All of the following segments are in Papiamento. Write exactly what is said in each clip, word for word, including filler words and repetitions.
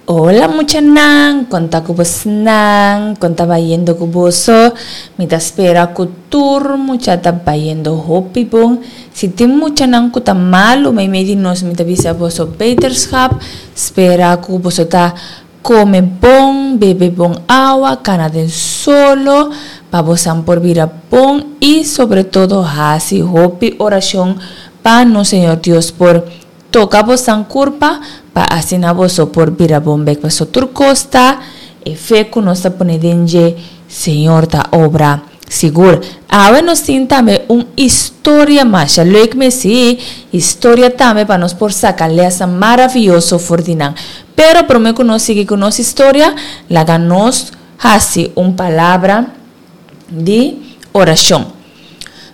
Hola muchanan, kon ta ku bosnan, kon ta bayendo ku boso. Mi ta spera ku tur mucha ta bayendo hopi bon. Si tin muchanan ku ta malu meimei di nos, mi ta bisa boso beterschap. Spera ku boso ta kome bon, bebe bon awa, kana den solo, pa bosan por bira bon i sobre todo hasi hopi orashon pa nos Señor Dios por toka bosan kurpa pa asina boso por bira bon bek. Paso tur kos ta e fe ku nos ta pone den dje, Señor ta obra sigur. Awe nos tin tambe un historia masha leuk mes, sí, historia tambe pa nos por saka lèsnan maravioso for di nan. Pero promé ku nos sigui ku nos historia, laga nos hasi un palabra di orashon.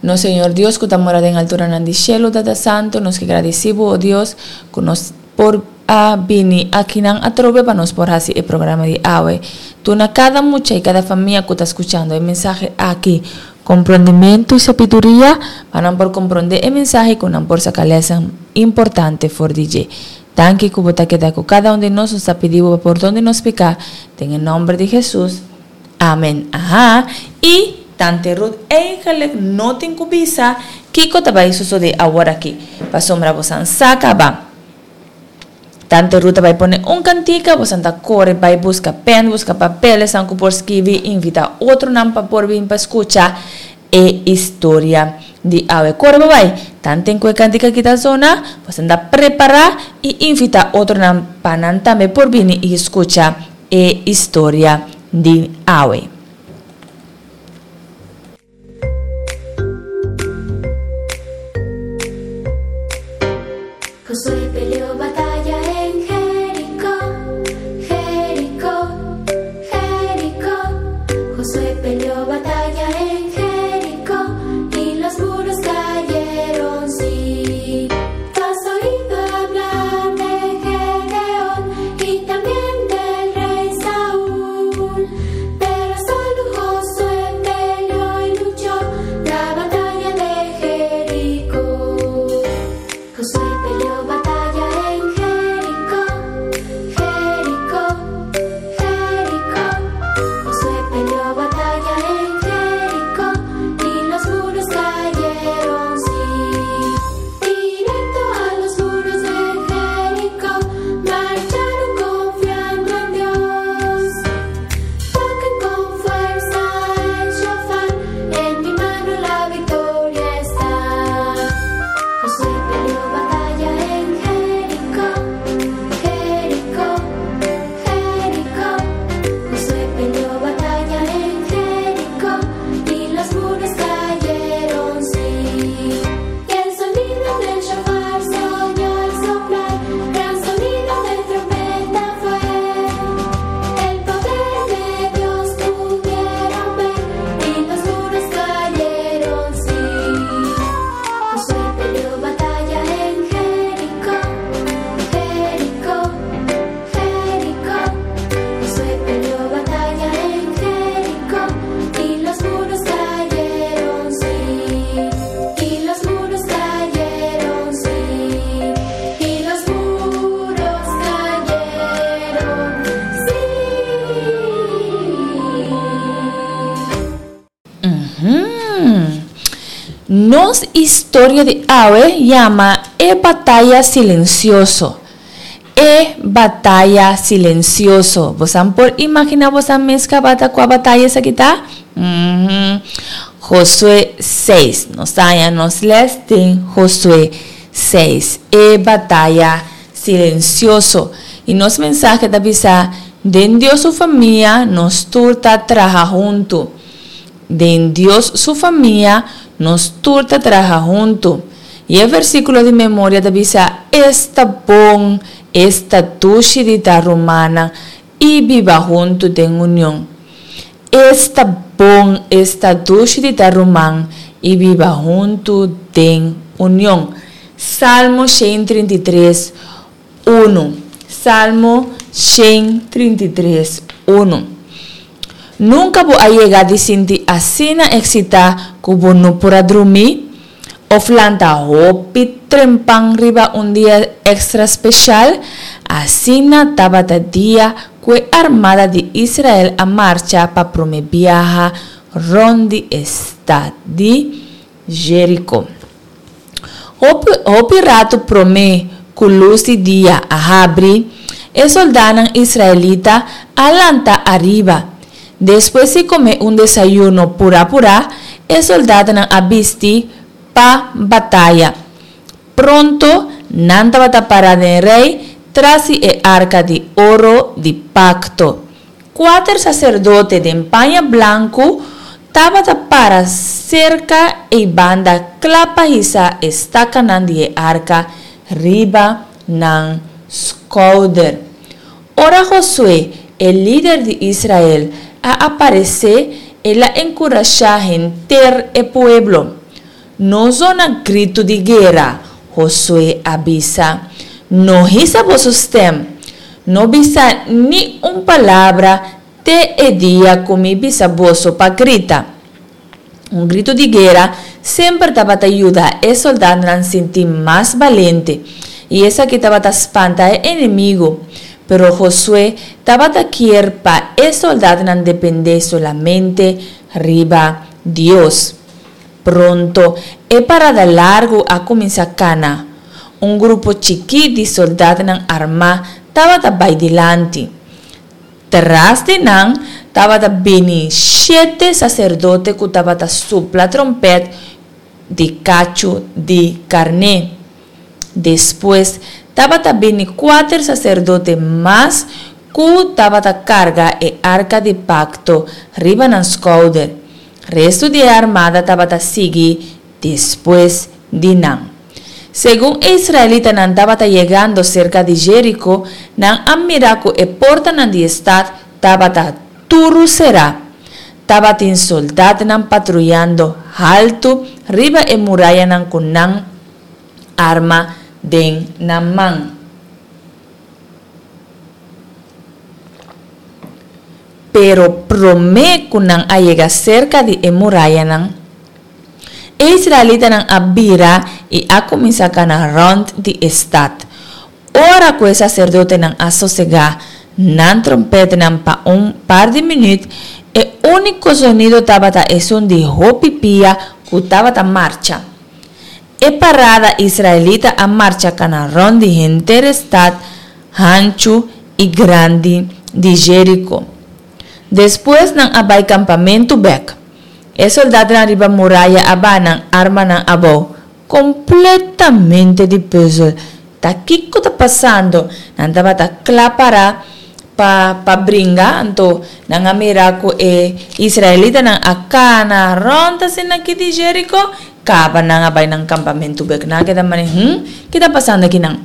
Nos Señor Dios ku ta mora den alturanan di shelu, Tata Santu, nos ke gradisí bo, o Dios, ku nos por a bini akinan atrobe pa nos por hasi e programa di awe. Duna kada mucha i kada famia ku ta skuchando e mensahe aki komprondementu i sabiduria pa nan por komprondé e mensahe i ku nan por saka lèsnan importante for di dje. Danki ku bo ta keda ku kada un di nos. Nos ta pidi bo pa pordon di nos piká. Den e nòmber di Hesus. Amen. Aha. I Tante Ruth eigenlijk no tin ku bisa kiko ta bai sosodé aworakí, pasobra bosan sa kaba. Tante Ruth ta bai pone un kantika, bosan ta kore bai buska pèn, buska papel, esnan ku por skibi, invitá otronan pa por bin pa skucha e historia di awe. Kore bo bai. Tanten ku e kantika aki ta zona, bosan ta prepará i invitá otronan pa nan tambe por bini i skucha e historia di awe. Josué peleó batalla en Jericó, Jericó, Jericó. Josué peleó batalla en Jericó y los muros cayeron, sí. Tú has oído hablar de Gedeón y también del rey Saúl, pero solo Josué peleó y luchó la batalla de Jericó. Josué peleó batalla en Jericó, Jericó, Jericó. Josué peleó batalla en Jericó y los muros cayeron, sí. Directo a los muros de Jericó marcharon confiando en Dios. Toquen con fuerza el shofar, en mi mano la victoria está. Josué peleó batalla en Jericó, Jericó, Jericó. Josué peleó batalla en Jericó y los muros cayeron, sí. Y el sonido del shofar se oyó al soplar, gran sonido de trompeta fue. El poder de Dios pudieron ver y los muros cayeron, sí. Josué peleó batalla en Jericó, Jericó, Jericó. Josué peleó batalla en Jericó y los muros cayeron, sí. Y los muros cayeron, sí. Y los muros cayeron, sí. Nos historia di awe yama E Bataya Silensioso. E Bataya Silensioso. Bosan por imaginá bosan mes kaba ta kua bataya esaki ta? Uhum. Josué seis. Nos ta haña nos les den Josué seis. E Bataya Silensioso. I nos mensahe ta bisa, Den Dios su famia nos tur ta traha huntu. Den Dios su famia nos tur ta traha huntu. I e versíkulo di memoria ta bisa, Esta bon, esta dushi di ta rumannan i biba huntu den union. Esta bon, esta dushi di ta ruman i biba huntu den union. Salmo shen trinta i tres, unu. Salmo shen trinta i tres, unu. Nunka bo a yega di sinti asina eksitá ku bo no por a drumí? Òf lanta hopi trempan riba un dia èkstra spesial? Asina tabata dia ku e armada di Israel a marcha pa promé biaha rònt di e stat di Jeriko. Hopi, hopi ratu promé ku lus di dia a habri, e sòldánan israelita a lanta ariba. Despues di kome un desayuno purá-purá, e sòldánan a bisti pa bataya. Pronto nan tabata pará den rei tras di e arka di oro di pakto. Kuater saserdote den paña blanku tabata para serka ei banda kla pa hisa e stakanan di e arka riba nan skouder. Ora Josué, e lider di Israel, a aparesé, el a enkurashá henter e pueblo. No zona gritu di guera, Josué a bisa. No hisa boso stèm. No bisa ni un palabra te e dia ku mi bisa boso pa grita. Un gritu di guera semper tabata yuda e sòldatnan sinti mas balente, i esaki tabata spanta e enemigu. Pero Josué tabata kier pa e sòldatnan dependé solamente riba Dios. Pronto, e parada largu a kuminsá kana. Un grupo chikí di sòldatnan armá tabata bai dilanti. Tras di nan tabata bini shete saserdote ku tabata supla tròmpèt di kachu di karné. Despues tabata bini kuater saserdote mas ku tabata karga e arka di pakto riba nan skouder. Restu di e armada tabata sigui despues di nan. Segun e israelitanan tabata yegando serka di Jeriko, nan a mira ku e portanan di e stat tabata turu será. Tabatin soldatnan patruyando haltu riba e murayanan ku nan arma den nan man. Pero promé ku nan a yega serka di e murayanan, e israelitanan a bira i a kuminsá kana rònt di e stat. Ora ku e saserdotenan a sosegá nan tròmpètnan pa un par di minüt, e úniko zonido tabata esun di hopi pia ku tabata marcha. E parada israelita a marcha kana rònt di henter e stat hanchu i grandi di Jeriko. Despues nan a bai kampamentu bèk. E soldatnan riba muraya a baha nan armanan abou, kompletamente di pùzel. Ta kiko ta pasando? Nan tabata kla para pa pa bringa, anto nan a mira ku e israelitanan a kana rònt asina aki di Jeriko, kaba nan a bai nan kampamentu bèk. Nan a keda manera, Hum, ki ta pasando akinan?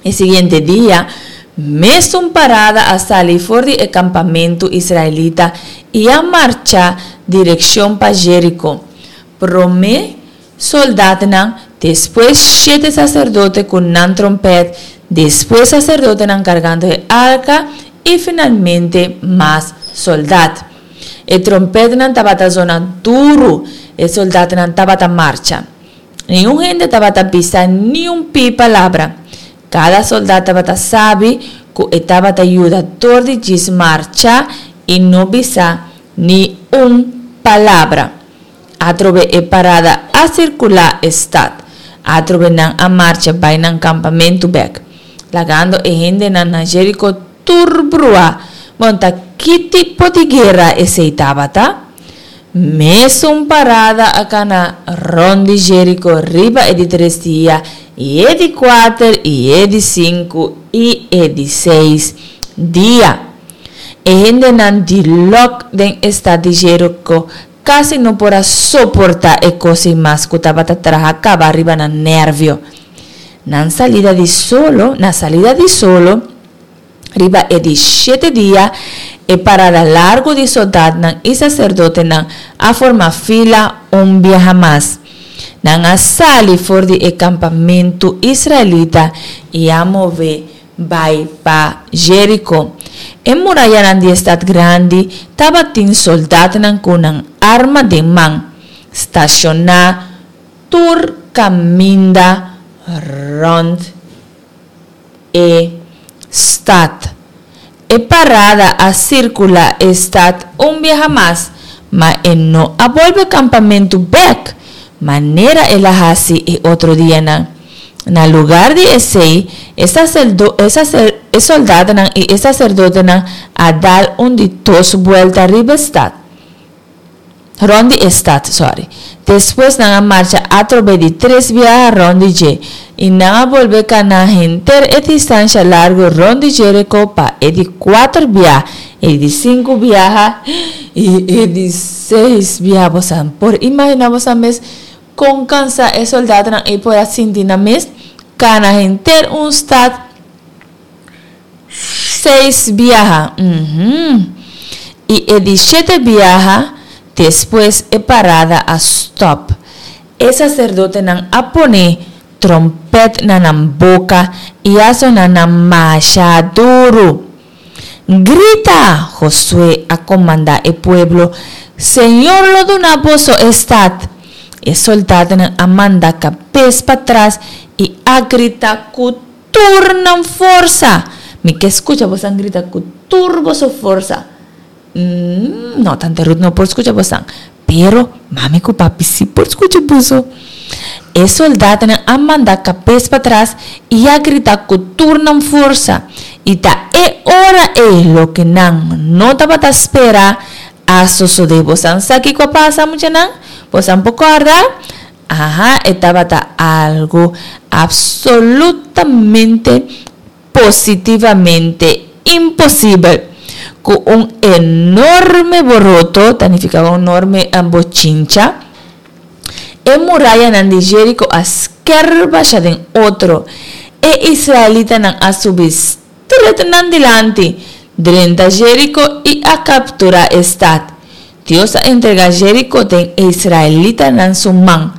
E siguiente dia, mesun parada a sali for di e kampamentu israelita i a marcha direkshon pa Jeriko. Promé sòldatnan, despues shete saserdote ku nan tròmpèt, despues saserdotenan kargando e arka i finalmente mas sòldat. E tròmpètnan tabata zona duru, e sòldatnan tabata marcha. Niun hende tabata bisa niun pi palabra. Kada soldat tabata sabi ku e tabata yuda dor di djis marcha i no bisa ni un palabra. Atrobe e parada a sirkulá e stat. Atrobe nan a marcha bai nan kampamentu bèk, lagando e hendenan na Jeriko tur bruá. Bon, ta ki tipo di guera esei tabata? Mesun parada a kana rònt di Jeriko riba e di tres dia, i e di kuater, i e di sinku, i e di seis dia. E hendenan di lòk den e stat di Jeriko kasi no por a soportá e kos ei mas ku tabata traha kaba riba nan nèrvio. Nan salida di solo, na salida di solo, Riba e di shete dia, e parada largu di soldatnan i saserdotenan a forma fila un biaha mas. Nan a sali for di e kampamentu israelita i a move bai pa Jeriko. E murayanan di e stat grandi tabatin soldatnan ku nan arma den man, stashoná Tur kaminda rònt e stat. E parada a sirkulá e stat un biaha mas, ma e no a bolbe kampamentu bèk, manera el a hasi e otro dianan. Na lugar di esei, e e sòldánan i e saserdotenan a dal un di dos buelta riba e stat. Rònt di e stat, sòri. Despues nan a marcha atrobe di tres biaha rònt di dje, i nan a bolbe kana henter e distansha largu rònt di Jeriko pa e di kuater bia, e di sinku biaha i e di seis biaha. Boso por imaginá boso mes kon kansá e sòldánan ei por a sinti nan mes? Kana henter un stat seis biaha. I e di shete biaha, despues e parada a stòp. E saserdotenan a pone tròmpèt na nan boka i a sona nan masha duru. Grita! Josué a komandá e pueblo, Señor lo duna boso e stat! E sòldánan a manda kabes patras i a grita ku tur nan forsa. Mi ke skucha boso grita ku tur boso forsa. Mm, no, Tante Ruth no por skucha boso, pero mami ku papi sí por skucha boso. E sòldánan a manda kabes patras i a grita ku tur nan forsa. I ta e ora ei loke nan no tabata spera a sosodé. Boso sa kiko a pasa, muchanan? Boso por kòrda? Aha, e tabata algu absolutamente, positivamente imposibel. Ku un enorme boroto, ta nifiká un enorme bochincha, e murayanan di Jeriko a sker basha den otro. E israelitanan a subi stret nan dilanti, drenta Jeriko i a kapturá e stat. Dios a entregá Jeriko den e israelitanan su man.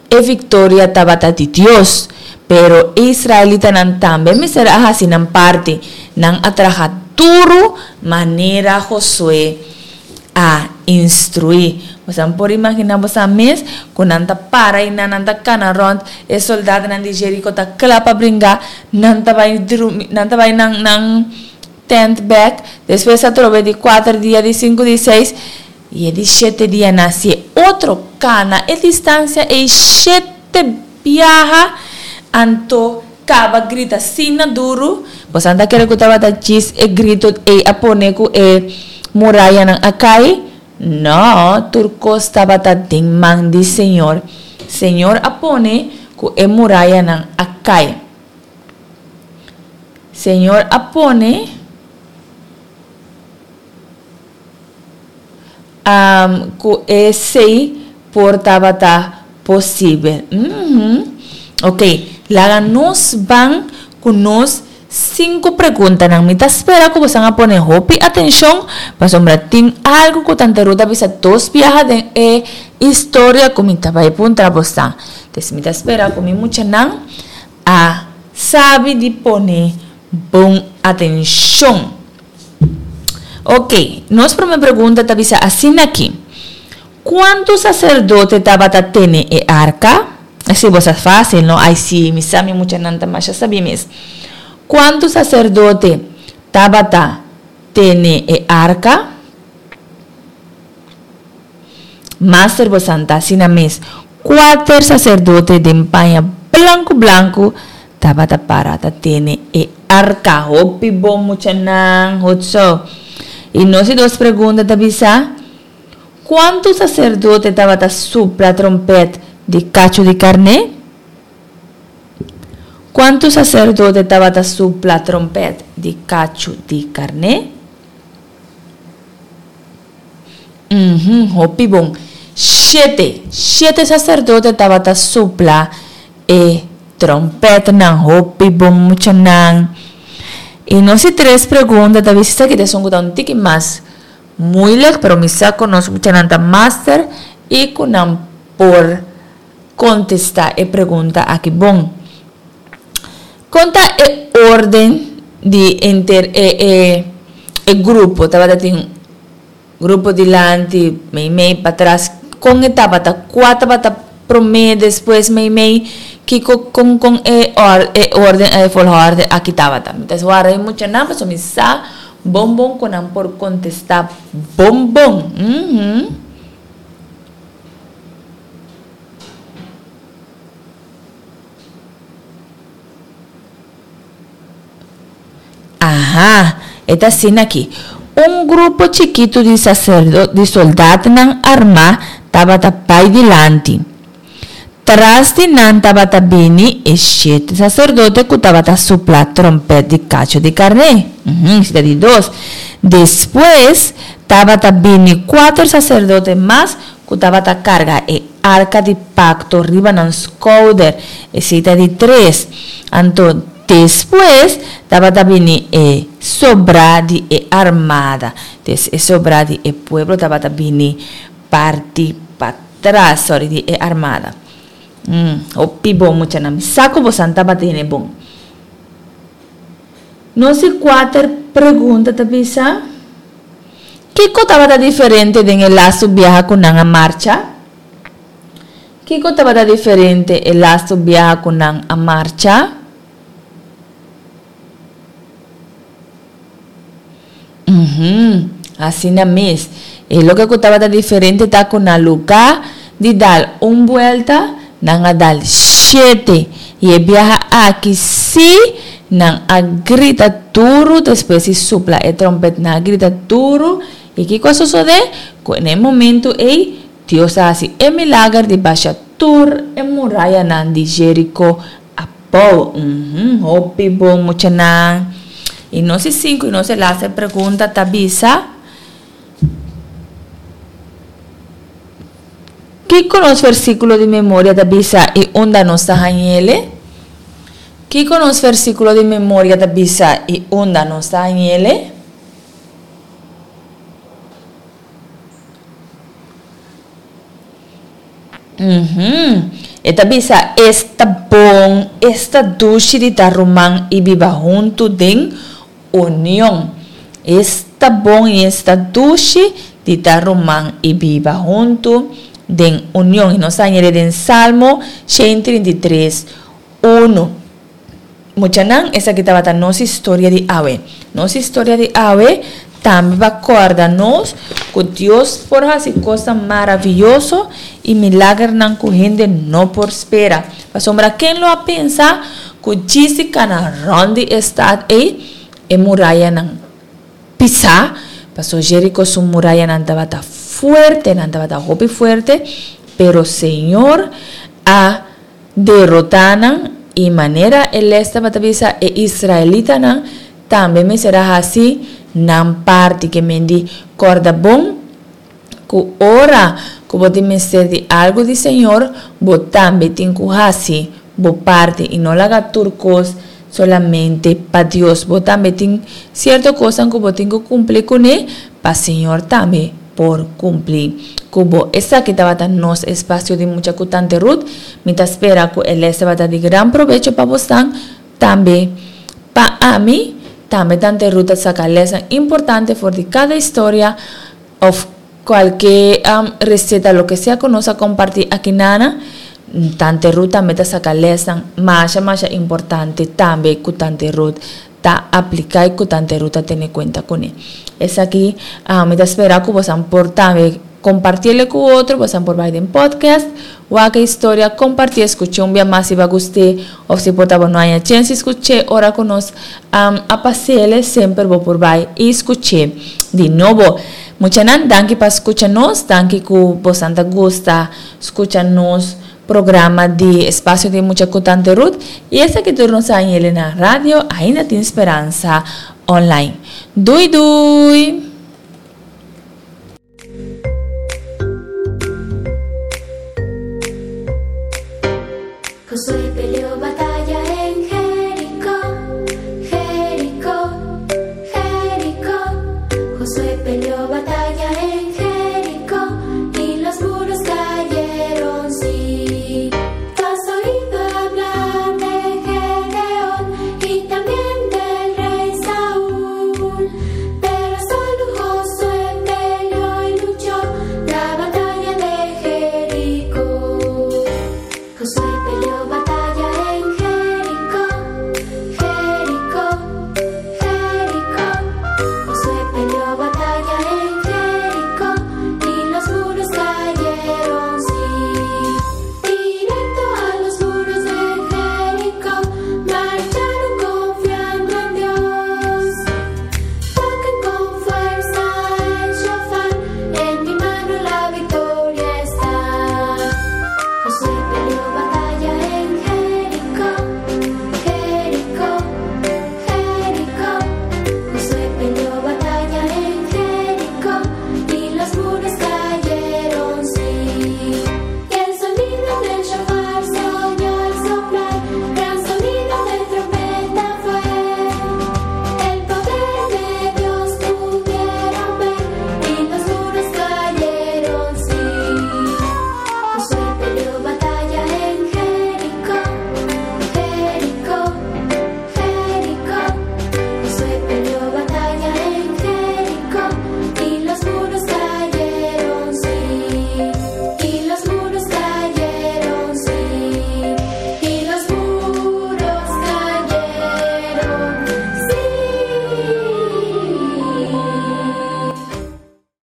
E viktoria tabata di Dios, pero e israelitanan tambe mester a hasi nan parti. Nan a traha duru manera Josué a instruí. Boso por imaginá boso mes ku nan ta para i nan ta kana rònt, e sòldánan di Jeriko ta kla pa bringa, nan ta bai nan ta bai nan nan tent bèk, despues atrobe di kuater dia, di sinku, di seis, i e di shete dia nan hasi otro kana e distansia ei shete biaha, anto kaba grita asina duru. Boso ta kere ku tabata djis e gritu ei a pone ku e murayanan a kai? No, tur kos tabata den man di Señor. Señor a pone ku e murayanan a kai. Señor a pone um, ku esei por tabata posibel. Mm Ok, laga nos ban ku nos sinku preguntanan. Mi ta spera ku boso a pone hopi atenshon, pasobra tin algu ku Tante Ruth a bisa dos biaha den e historia ku mi ta bai puntra boso. Entonces mi ta spera ku mi muchanan a sabi di pone bon atenshon. Ok, nos promé pregunta ta bisa asina aki. Kuantu saserdote tabata tene e arka? Esei bo sa fásil, no? Ai sí, mi sa mi muchanan ta masha sabí mes. Kuantu saserdote tabata tene e arka? Master bo sa ta asina mes. Kuater saserdote den paña blanku blanku tabata para ta tene e arka. Hopi bon, muchanan, goed zo. I nos di dos pregunta ta bisa, kuantu saserdote tabata supla tròmpèt di kachu di karné? Kuantu saserdote tabata supla tròmpèt di kachu di karné? Uhum, hopi bon. Shete. Shete saserdote tabata supla e tròmpètnan. Hopi bon, muchanan. I nos di tres pregunta ta bisa esaki ta esun ku ta un tiki mas moeilijk, pero mi sa ku nos muchanan ta master i ku nan por kontestá e pregunta aki bon. Kon ta e órden di enter e e e grupo? Tabata tin grupo dilanti, meimei, patras. Kon e tabata? Kua tabata Promé, despues, meimei, kiko kon kon e or e orden e volgorde aki tabata. Mi ta warda e muchanan pasobra mi sa bon bon ku nan por kontestá bon bon. Mhm. Aha, e ta asina aki. Un grupo chikitu di saserdo di soldatnan armá tabata bai dilanti. Tras di nan tabata bini e shete saserdote ku tabata supla tròmpèt di kachu di karné. Uhum, esei ta di dos. Despues tabata bini kuater saserdote mas ku tabata karga e arka di pakto riba nan skouder. Esei ta di tres. Anto despues tabata bini e sobrá di e armada. Des e sobrá di e pueblo tabata bini parti patras, sorry, di e armada. Mm, hopi bon muchanan. Mi sa ku bosan tabata hende bon. Nos di kuater pregunta ta bisa, Kiko tabata diferente den e lastu biaha ku nan a marcha? Kiko tabata diferente e lastu biaha ku nan a marcha? Uhum, asina mes. E loke ku tabata diferente ta ku na lugá di dal un buelta, nan a dal shete. I e biaha aki sí nan a grita duru despues di supla e tròmpèt. Nan a grita duru. I kiko a sosodé? Ku na e momentu ei Dios a hasi e milager di basha tur e murayanan di Jeriko abou. Uhum, hopi bon muchanan. I nos di sinku i nos e laste pregunta ta bisa, Kiko nos versíkulo di memoria ta bisa i unda nos ta hañ'ele? Kiko nos versíkulo di memoria ta bisa i unda nos ta hañ'ele? Uhum. E ta bisa, Esta bon, esta dushi di ta ruman i biba huntu den union. Esta bon i esta dushi di ta ruman i biba huntu den union. I nos ta haña den Salmo shen trinta i tres, unu. Muchanan, esaki tabata nos historia di awe. Nos historia di awe tambe pa kòrda nos ku Dios por hasi kosnan maravioso i milagernan ku hende no por spera. Pasobra ken lo a pensa ku djis di kana rònt di e stat ei, e murayanan pisá? Pasobra Jeriko su murayanan tabata fuerte, nan tabata hopi fuerte, pero Señor a derotá nan i manera e les tabata bisa e israelitanan tambe mester a hasi nan parti. Ke men di kòrda bon ku ora ku bo tin mester di algu di Señor bo tambe tin ku hasi bo parti i no laga tur kos solamente pa Dios. Bo tambe tin sierto kosnan ku bo tin ku kumpli kuné pa Señor tambe por kumpli ku bo. Esaki tabata nos espasio di Mucha ku Tante Ruth. Mi ta spera ku e les tabata di gran probecho pa bosnan, tambe pa ami. Tambe Tante Ruth ta saka lesnan importante for di kada historia òf kualke reseta, loke sea ku nos a kompartí aki nana. Tante Ruth tambe ta saka lesnan masha masha importante tambe ku Tante Ruth ta apliká i ku Tante Ruth ta tene kuenta kuné. Esaki mi ta spera ku bosan por tambe kompartiele ku otro, bosan por bai den podcast, wak e historia, kompartié, skuch'é un bia mas si bo a gust'é òf si por ta bo no haña chèns di skuch'é ora ku nos a pas'ele, semper bo por bai i skuch'é di nobo. Muchanan, danki pa skucha nos, danki ku bosan ta gusta skucha nos Programa di Espacio di Mucha cu Tante Ruth y esaki tur nos a hañele na Radio Ainda Tin Speransa Online. Doei doei! Josué peleó batalla en Jericó, Jericó, Jericó. Josué peleó batalla.